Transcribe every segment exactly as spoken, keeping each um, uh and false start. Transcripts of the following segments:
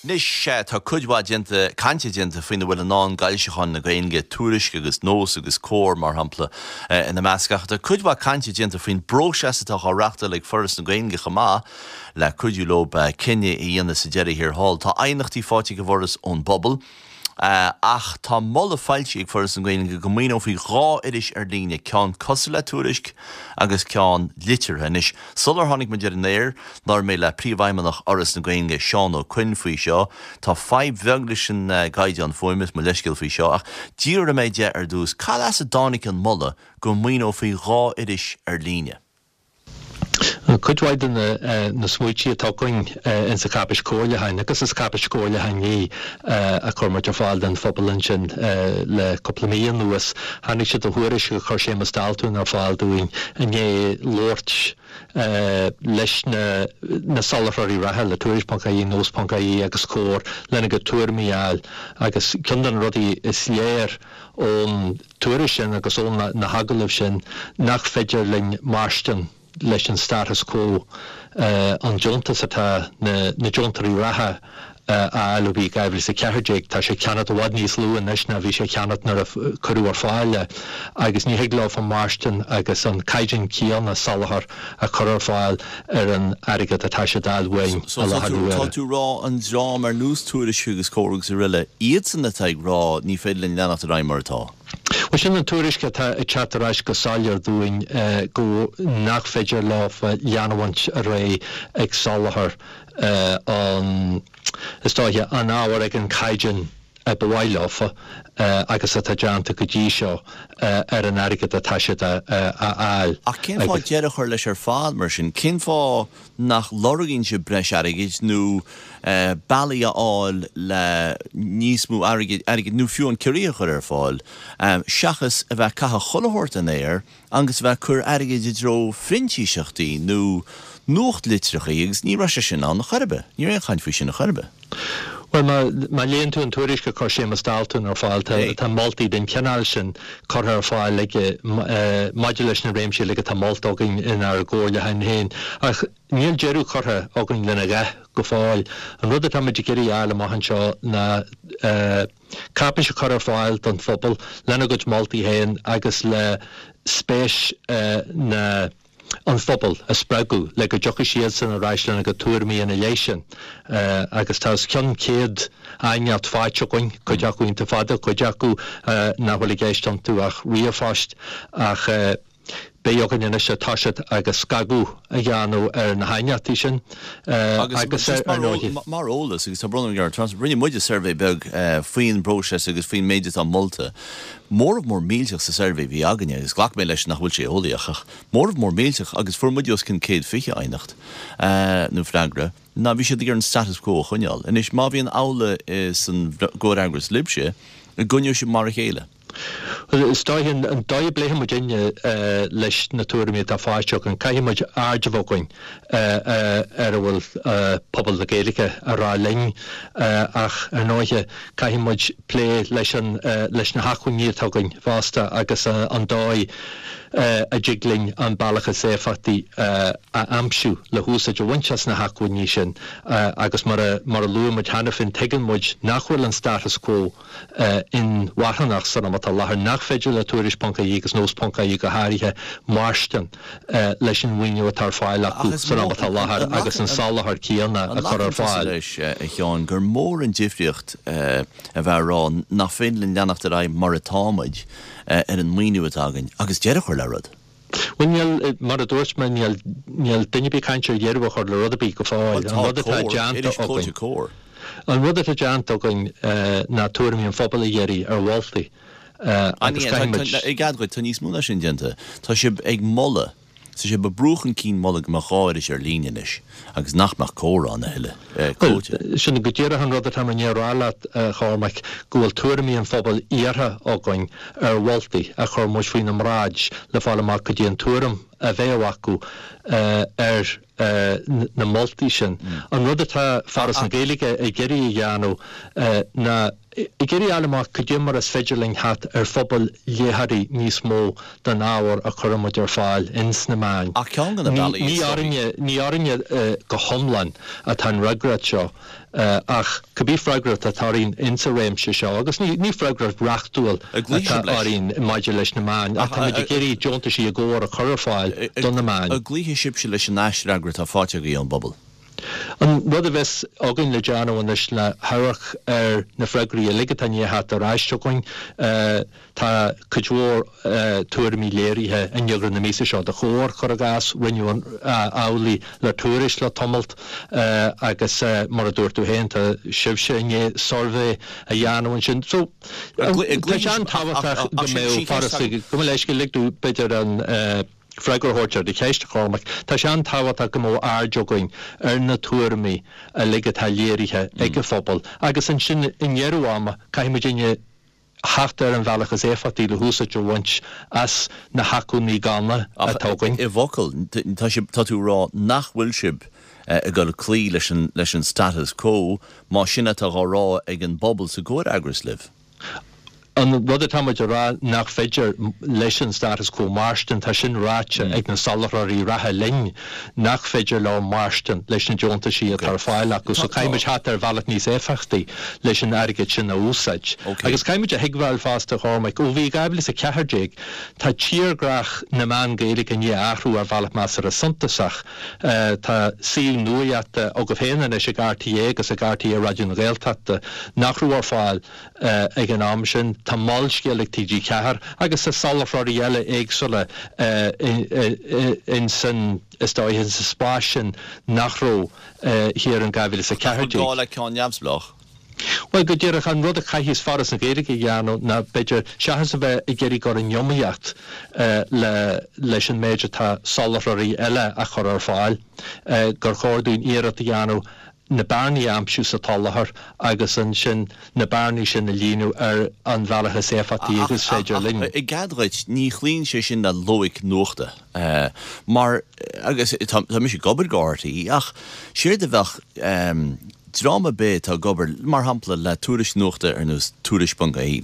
Anois tá cuid mhaith déanta cainte déanta faoina bhfuil i ndán d'fhoilseacháin na Gaeilge, Tuairisc agus Nós agus Comhar mar shampla ina measc ach tá cuid mhaith cainte déanta faoin bpróiseas atá á reáchtáil ag Foras na Gaeilge chomh maith le cuidiú leo cinneadh a dhéanamh sa deireadh thiar thall. Tá aighneachtaí faighte ag an bhForas ón bpobal. Ach tá moladh foilsithe ag Foras na Gaeilge go maoineofaí dhá iris ar líne, ceann cosúil le Tuairisc agus ceann liteartha. Anois, sular tháinig muid ar an aer, labhair mé le Príomhfheidhmeannach Fhoras na Gaeilge, Seán Ó Coinn, faoi seo. Tá fadhb bheag leis an gcaighdeán fuaime, is mo leithscéal faoi seo, ach d'fhiafraigh mé de ar dtús, cad as a dtáinig an moladh go maoineofaí dhá iris ar líne? Cuid mhaith de na smaointe atá againn insa cháipéis chomhairliúcháin agus is cáipéis chomhairliúcháin í a chuir muid ar fáil don phobal ansin le cúpla mí anuas, tháinig siad ó thuairisc a chuir Séamus Daltún ar fáil dúinn i ndiaidh labhairt leis na soláthróirí reatha, le Tuairisc ponc ie, Nós ponc ie agus Comhar lena gcuid tuairimí a fháil agus ceann de na rudaí is léir ón tuairisc sin agus ó na hagallaimh sin nach féidir linn mairstin leis an status quo, an deontas atá na deontóirí reatha a fháil ó bhí dhá mhíle is a ceathair déag, tá sé ceannach i bhfad níos lú anois ná bhí sé ceannach nuair a cuireadh ar fáil é agus ní thig leofa mairstin agus an caighdeán céanna soláthair a chur ar fáil ar an airgead atá siad a fháil uainn i láthair na huaire. Tá tú ag rá an dream ar nós Tuairisc agus Comhar agus araile, iadsan atá ag rá ní féidir linn leanacht ar aghaidh mar atá? Bhuel, sin an tuairisc atá ag teacht ar ais go soiléir dúinn go nach féidir leofa leanúint ar aghaidh ag soláthar an, is dóiche, an ábhair ag an caighdeán a ba mhaith leofa agus atá déanta go dtí seo ar an airgead atá siad a fháil. Ach cén fáth deireadh a chur leis ar fad mar sin? Cén fáth nach lorgaíonn sibh breis airgid nó bealaí a fháil le níos mó airgid, airgid nó fiú an ciorruithe a chur ar fáil, seachas a bheith ag caitheamh chuile shórt den aer agus a bheith ag cur airgid i dtreo phrintíseachtaí nó nuachtlitreacha agus ní raibh sé sin ann a chor ar bith. Ní raibh aon chaint faoi sin a chor ar bith. Bhuel, má, má léann tú an tuairisc a chuir Séamus Daltún ar fáil, tá, tá moltaí den chineál sin curtha ar fáil aige maidir leis na réimsí uilig atá molta againn inár gcomhairliúchán féin. Ach níl deireadh curtha againn lena dhath go fóill. An rud atá muid ag iarraidh a fháil amach anseo ná cáipéis a chur ar fáil don phobal lena gcuid moltaí féin agus le spéis na an phobal a spreagadh le go dtiocfaidh siadsan ar ais lena gcuid tuairimí ina leith sin. Agus tá os cionn céad aighneacht faighte againn, cuid acu iontach fada, cuid acu nach bhfuil i gceist iontu ach ríomhphost, ach beidh againn anois toiseacht agus scagadh a dhéanamh ar na haighneachtaí sin agus ar ndóigh. Mar eolas, agus tá brón orm gur rinne muide suirbhé beag faoin bpróiseas agus faoin méid atá molta. Móramh mór millteach sa suirbhé a bhí againne, agus ghlac mé leis nach bhfuil sé eolaíoch, ach móramh mór millteach, agus fuair muide os cionn céad fiche aighneacht nó freagra, ná bhí siad ag iarraidh an status quo a choinneáil. Anois, má bhíonn amhlaidh san gcomhfhreagras libhse, an gcoinneoidh sibh mar a chéile? Bhuel, is dóiche, an dóigh a bpléifidh muidinne leis na tuairimí atá faighte againn, caithfidh muid aird a bheith againn ar a bhfuil pobal na Gaeilge a rá linn ach, ar ndóighe, caithfidh muid plé leis an, leis na hacmhainní atá againn fosta agus an dóigh a dtig linn an bealach is éifeachtaí a aimsiú le húsáid a bhaint as na hacmhainní sin agus mar a, mar a luaigh muid cheana féin, tuigeann muid nach bhfuil an status quo inmharthanach san am atá i láthair nach féidir le Tuairisc ponc ie agus Nós ponc ie go háirithe mairstin leis an mhaoiniú atá ar fáil acu san am atá i láthair agus an soláthar céanna a chur ar fáil. An nglacann tusa leis, a Sheáin, gur mór an difríocht a bheith ag rá nach féidir linn leanacht ar aghaidh mar atá muid ar an maoiniú atá againn agus deireadh a chur le rud? Bhuel, níl, mar a dúirt mé, níl, níl duine ar bith ag caint ar dheireadh a chur le rud ar bith go fóill. An rud atá déanta againn. An rud atá déanta againn ná tuairimí an phobail a iarraidh ar mholtaí agus caithfidh muid. I gcead dhuit, tá níos mó ná sin déanta. Tá sibh ag moladh, tá sibh ag brú chun cinn moladh go mbeadh dhá iris ar líne anois agus nach mbeadh Comhar ann a thuilleadh, clóite. Bhuel, sin go díreach an rud atá mé i ndiaidh a rá leat, a Chormaic, go bhfuil tuairimí an phobail iarrtha againn ar mholtaí a chuir muid faoina mbráid le fáil amach cad é an tuairim a bheadh acu ar na moltaí sin. An rud atá Foras na Gaeilge ag iarraidh a dhéanamh ná ag iarraidh a fháil amach cad é mar is féidir linn theacht ar phobal léitheoirí níos mó don ábhar a chuireann muid ar fáil ins na meáin. Ach ceann de na bealaí Ní is orainne, ní orainne go hiomlán atá an fhreagracht seo. Ach cibé freagracht atá orainn insa réimse seo, agus ní freagracht reachtúil atá orainn maidir leis na meáin, ach táimid ag iarraidh deontaisí i gcomhar a chur ar fáil do na meáin. An gcloífidh sibhse leis an aisfhreagra atá faighte agaibh ón bpobal? An rud a bheas againn le déanamh anois ná amharc ar na freagraí uilig atá i ndiaidh theacht ar ais chugainn. Tá cuid mhór tuairimí léirithe in eagrán na míosa seo de Chomhar, cuir i gcás. Rinneadh amhlaidh le Tuairisc le tamalt agus mar a dúirt tú féin, tá sibhse i ndiaidh suirbhé a dhéanamh ansin. So, tá sé an-tábhachtach go mbeadh Foras, gabh mo leithscéal, lig domh b'fhéidir an freagra a thabhairt ar do cheist, a Chormaic. Tá sé an-tábhachtach go mbeadh aird againn ar na tuairimí uilig atá léirithe ag an phobal agus ansin i ndeireadh ama caithfidh muidinne theacht ar an bhealach is éifeachtaí le húsáid a bhaint as na hacmhainní ganna atá againn. I bhfocail, tá sibh, tá tú ag rá nach bhfuil sibh ag dul cloí leis an, leis an status quo, más sin atá á rá ag an bpobal sa gcomhfhreagras libh? An rud atá muid a rá nach féidir leis an status quo mairstin, tá sin ráite ag na soláthróirí reatha linn, nach féidir leo mairstin leis na deontaisí atá ar fáil acu. So caithfidh muid theacht ar bhealach níos éifeachtaí leis an airgead sin a úsáid. Agus caithfidh muid a thuigbheáil fosta, a Chormaic, ó bhí dhá mhíle is a ceathair déag, tá tírdhreach na meán Gaeilge i ndiaidh athrú ar bhealach measartha suntasach. Tá suíomh nuaíochta agaibh féin anois ag RTÉ agus ag RTÉ Raidió na Gaeltachta nach raibh ar fáil ag an am sin. Tá Molscéal ag T G ceathair agus tá soláthróirí eile éagsúla in san, is dóiche, in sa spás sin nach raibh thiar in dhá mhíle is a ceathair An déag. gá le ceann neamhspleách? Bhuel, go díreach, an rud a chaithfeas Foras na Gaeilge a dhéanamh ná, b'fhéidir, seachas a bheith ag iarraidh dul in iomaíocht le leis an méid atá soláthróirí eile a chur ar fáil, gur chóir dúinn iarracht a dhéanamh na bearnaí a aimsiú sa tsoláthar agus ansin na bearnaí sin a líonadh ar an bhealach is éifeachtaí agus is féidir linn. Ach i gcead dhuit, ní chloíonn sé sin le loighic nuachta. Mar, agus tá mise ag obair do R T E, ach séard a bheadh dream ar bith atá ag obair, mar shampla, le tuairisc nuachta ar nós Tuairisc ponc I E,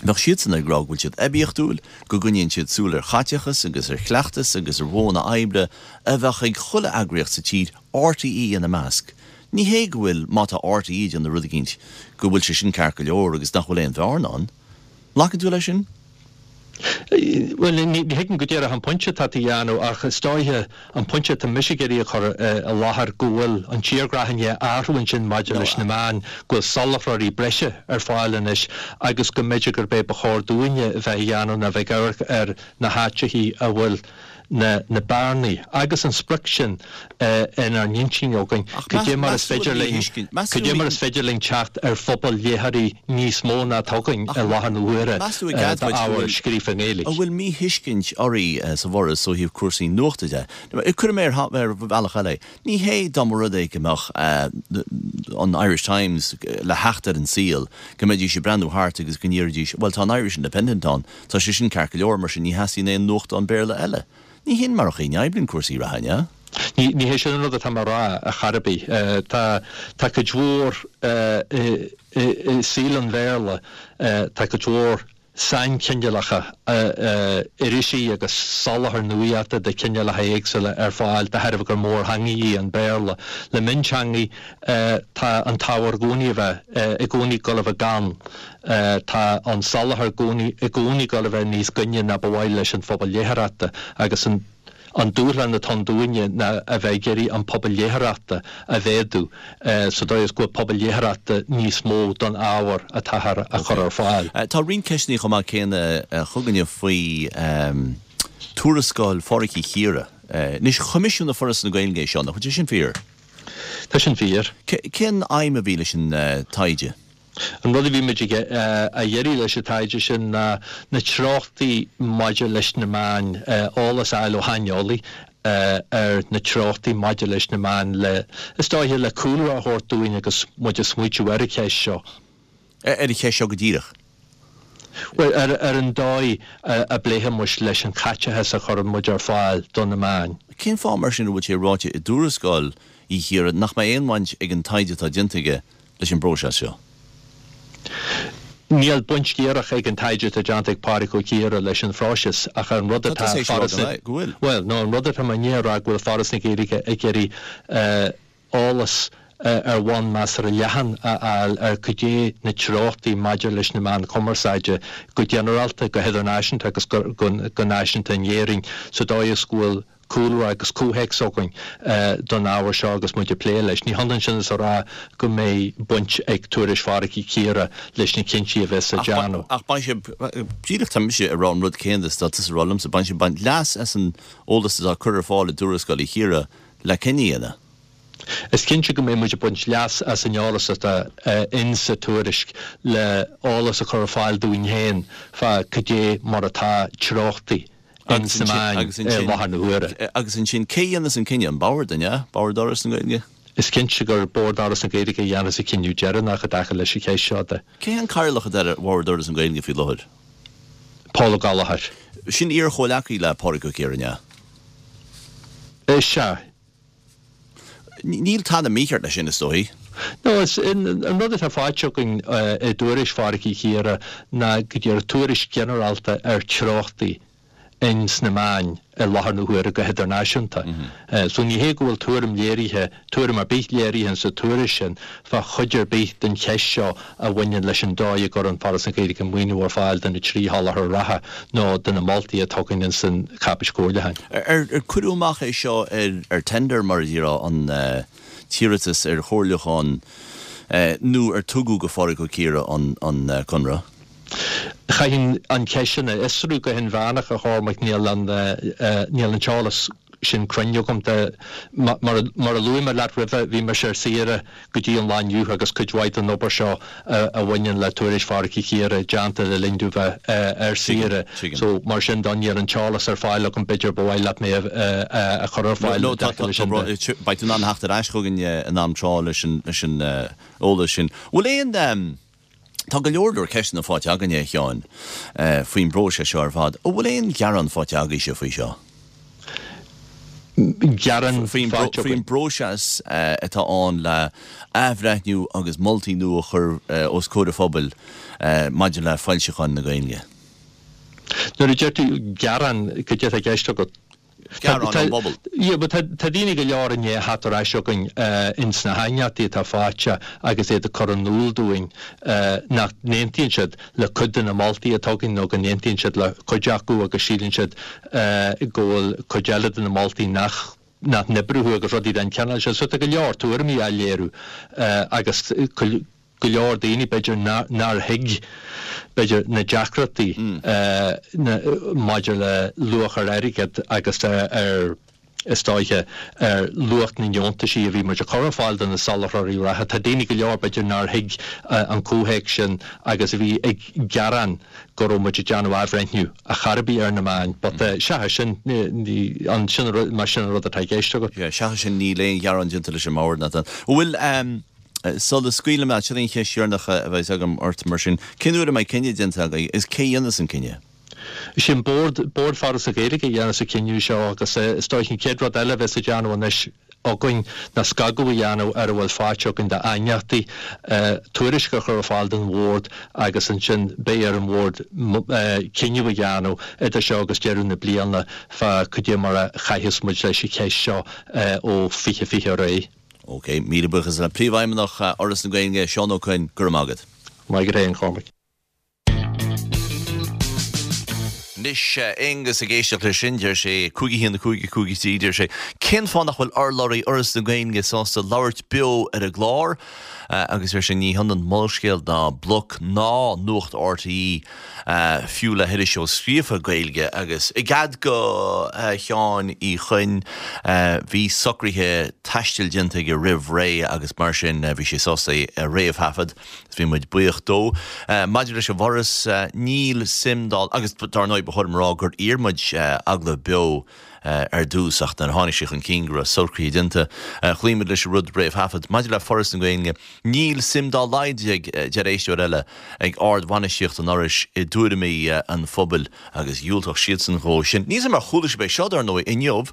bheadh siadsan ag rá go bhfuil siad oibiachtúil, go gcoinníonn siad súil ar chaiteachas agus ar chleachtas agus ar mhodhanna oibre a bheadh ag chuile eagraíocht sa tír, R T E ina measc. Ní hé go bhfuil, má tá R T E ag déanamh rud eicínt, go bhfuil sé sin ceart go leor agus nach bhfuil aon bhearna ann. Nglacann tú leis sin? Bhuel, ní thuigim go díreach an pointe atá tú a dhéanamh ach is dóiche an pointe atá mise ag iarraidh a chur i láthair go bhfuil an tírdhreach i ndiaidh athrú ansin maidir leis na meáin, go bhfuil soláthróirí breise ar fáil anois agus go mb'fhéidir gurb é ba chóir dúinne a bheith a dhéanamh ná bheith ag amharc ar na háiteachaí a bhfuil na na bearnaí agus an sprioc sin inár n-intinn againn, cad é mar is féidir linn, cad é mar is féidir linn teacht ar phobal léitheoirí níos mó ná atá againn i láthair na huaire d'ábhar scríofa i nGaeilge. An bhfuil míthuiscint oraibh sa bhForas ó thaobh cúrsaí nuachta de? Cuirfidh mé ar bhealach eile é. Ní hé dá mba rud é go mbeadh an Irish Times le theacht ar an saol, go mbeidís ag breathnú thart agus go ndéarfaidís, bhuel tá an Irish Independent ann, tá sé sin ceart go leor, mar sin ní theastaíonn aon nuachtán Béarla eile. Ní hin mar a oibríonn cúrsaí reatha, an ea? Ní ní hé sin an rud atá mé a rá ar chor ar bith. Tá tá cuid mhór i i saol an Bhéarla, tá cuid mhór sainchineálacha irisí agus soláthar nuachta de chineálacha éagsúla ar fáil de thairbhe gur mórtheanga í an Béarla. Le mionteangaí tá an t-ábhar i gcónaí a bheith i gcónaí ag dul a bheith gann. Tá an soláthar i gcónaí ag dul a bheith níos gainne ná ba mhaith leis an phobal léitheoireachta agus an an dúshlán atá ann dúinne ná a bheith ag iarraidh an pobal léitheoireachta a mhéadú sa dóigh is go bhfuil pobal léitheoireachta níos mó don ábhar atáthar a chur ar fáil. Tá roinnt ceisteanna chomh maith céanna chugainne faoi tuarascáil Phádraic Uí Chiardha. Anois, choimisiúnaigh Foras na Gaeilge é seo, nach bhfuil sé sin fíor? Tá sin fíor. Cén aidhm a bhí leis an taighde? An rud a bhí muid a iarraidh leis an taighde sin ná na treochtaí maidir leis na meáin, eolas a fháil ó shaineolaí ar na treochtaí maidir leis na meáin le, is dóiche, le cúlra a thabhairt dúinn agus muid ag smaoitiú ar an cheist seo. Ar an cheist seo go díreach? Bhuel, ar ar an dóigh a bpléifidh muid leis an chaiteachas a chuireann muid ar fáil do na meáin. Cén fáth mar sin a bhfuil sé ráite i dtuarascáil Uí Chiardha nach mbeidh aon bhaint ag an taighde atá déanta aige leis an bpróiseas seo? Níl baint dhíreach ag an taighde atá déanta ag Pádraig Ó Ciardha leis an phróiseas ach an rud Tá atá tusa ag rá Foras na go bhfuil. Bhuel, no, an rud atá mé i ndiaidh a rá go bhfuil Foras na Gaeilge ag iarraidh eolas ar bhonn measartha leathan a fháil ar cad é na treochtaí maidir leis na meáin chumarsáide go ginearálta, go hidirnáisiúnta agus go náisiúnta in Éirinn sa dóigh is go bhfuil cúlra agus comhthéacs againn don ábhar seo agus muid ag plé leis. Ní hionann sin is a rá go mbeidh baint ag tuairisc Phádraig Uí Chiardha leis na cinntí a bheas á déanamh. Ach beidh sibh, díreach tá mise ag rá an rud céanna is atá tusa a rá liomsa, beidh sibh ag baint leas as an eolas atá curtha ar fáil i dtuarascáil Uí Chiardha le cinneadh a dhéanamh. Is cinnte go mbeidh muid ag baint leas as an eolas atá in sa tuairisc le eolas a chur ar fáil dúinn féin fá cad é mar atá treochtaí in sna meáin i láthair na huaire. Agus ansin, cé a dhéanas an cinneadh? An Bord, an ea? Bord Fhoras na Gaeilge? Is cinnte gur Bord Fhoras na Gaeilge a dhéanas an cinneadh deireanach i dtaca leis an cheist seo de. Cé an cathaoirleach atá ar Bhord Fhoras na Gaeilge faoi láthair? Paul Ó Gallchóir. Sin iar-chomhleacaí le Pádraig Ó Ciardha, an ea? Is ea. Níl tada mícheart leis sin, is dóigh. No, is an rud atá faighte againn i dtuairisc Phádraig Uí Chiardha ná go díreach tuairisc ghinearálta ar treochtaí in sna meáin i láthair na huaire go hidirnáisiúnta. So ní hé go bhfuil tuairim léirithe, tuairim ar bith léirithe in sa tuairisc sin fá chuid ar bith den cheist seo a bhaineann leis an dóigh a gcuireann Foras na Gaeilge maoiniú ar fáil do na trí sholáthar reatha nó do na moltaí atá againn in san cháipéis chomhairliúcháin. Ar cuireadh amach é seo ar tender, mar a déarfá, an t-iarratas ar chomhairliúchán nó ar tugadh go Phádraig Ó Ciardha an conradh? Chaithfinn an cheist sin a fhiosrú go hinmheánach, a Chormaic, níl an níl an t-eolas sin cruinn agam. Mar mar a luaigh mé leat roimhe, bhí mise ar saoire go dtí an lá inniu agus cuid mhaith den obair seo a bhaineann le tuairisc Phádraig Uí Chiardha déanta le linn domh bheith ar saoire. So mar sin de níl an t-eolas ar fáil agam, b'fhéidir ba mhaith leat mé a chur ar fáil i dtaca leis sin de. Beidh tú in ann theacht ar ais chugainn in am trátha leis an leis an eolas sin. Bhfuil aon Tá go leor leor ceisteanna faighte againne, a Sheáin, faoin bpróiseas seo ar fad. An bhfuil aon ghearán faighte agaibhse faoi seo? Gearán Faoin faighte faoin againn? bpróiseas atá ann le athbhreithniú agus moltaí nua a chur os comhair an phobail maidir le foilseacháin na Gaeilge. Nuair a deir tú gearán, cad é atá i gceist agat? Gearán ón bpobal. Yeah, but tá daoine go leor i ndiaidh theacht ar ais chugainn ins na haighneachtaí atá faighte agus iad ag cur in iúl dúinn nach n-aontaíonn siad le cuid de na moltaí atá againn nó go n-aontaíonn siad le cuid acu agus síleann siad go bhfuil cuid eile de na moltaí nach nach n-oibreoidh agus rudaí den chineál sin. So tá go leor tuairimí á léiriú agus go leor daoine, b'fhéidir, nár thuig, b'fhéidir, na deacrachtaí maidir le luach ar airgead agus ar, is dóiche, ar luach na ndeontaisí a bhí muid a chur ar fáil do na soláthróirí reatha. Tá daoine go leor, b'fhéidir, nár thuig an comhthéacs sin agus a bhí ag gearán go raibh muid ag déanamh athbhreithniú ar chor ar bith ar na meáin. But seachas sin, ní, an sin an rud, más sin an rud atá i gceist agat. Seachas sin, níl aon ghearán déanta leis an mbord, Nathan. An bhfuil. Sula scaoilim leat, sin an cheist dheireanach a bheas agam ort mar sin. Cén uair a mbeidh cinneadh déanta agaibh agus cé a dhéanfas an cinneadh? Is é an Bord, Bord Foras na Gaeilge a dhéanfas an cinneadh seo agus is dóiche an chéad rud eile a bheas á déanamh anois againn ná scagadh a dhéanamh ar a bhfuil faighte againn d'aighneachtaí, tuairisc a chur ar fáil don Bhord agus ansin beidh ar an Bhord cinneadh a dhéanamh idir seo agus deireadh na bliana fá cad é mar a chaithfeas muid leis an cheist seo ó fiche fiche ar aghaidh. Ok, míle buíochas le Príomhfheidhmeannach Fhoras na Gaeilge, Seán Ó Coinn, go raibh maith agat. Maith agat féin, Cormac. Anois, Aonghus ag éisteacht leis sin, deir sé, cúig a haon, a cúig, a cúig a trí, deir sé, cén fáth nach bhfuil urlabhraí Fhoras na Gaeilge sásta labhairt beo ar an gclár? Agus deir sé, ní hionann Molscéal ná Bloc ná Nuacht RTÉ. fiú le hiriseoir scríofa Gaeilge agus i gcead do Sheáin Uí Choinn bhí socruithe taistil déanta aige roimh ré agus mar sin bhí sé sásta é a réamhthaifead is bhí muid buíoch dó. Maidir leis an bhForas níl suim dá agus dar ndóigh ba chóir dom a rá gur iarr muid agallamh beo ar dtús ach nuair a tháinig sé chun cinn go raibh socruithe déanta chloígh muid leis an rud réamhthaifead. Maidir le Foras na Gaeilge, níl suim dá laghad, a deir éisteoir eile, ag ardbhainistíocht an Fhorais i dtuairimí an phobail agus dhiúltódh siadsan dhó sin. Níl 's agam ar chuala sibh é seo, dar ndóigh, inniu,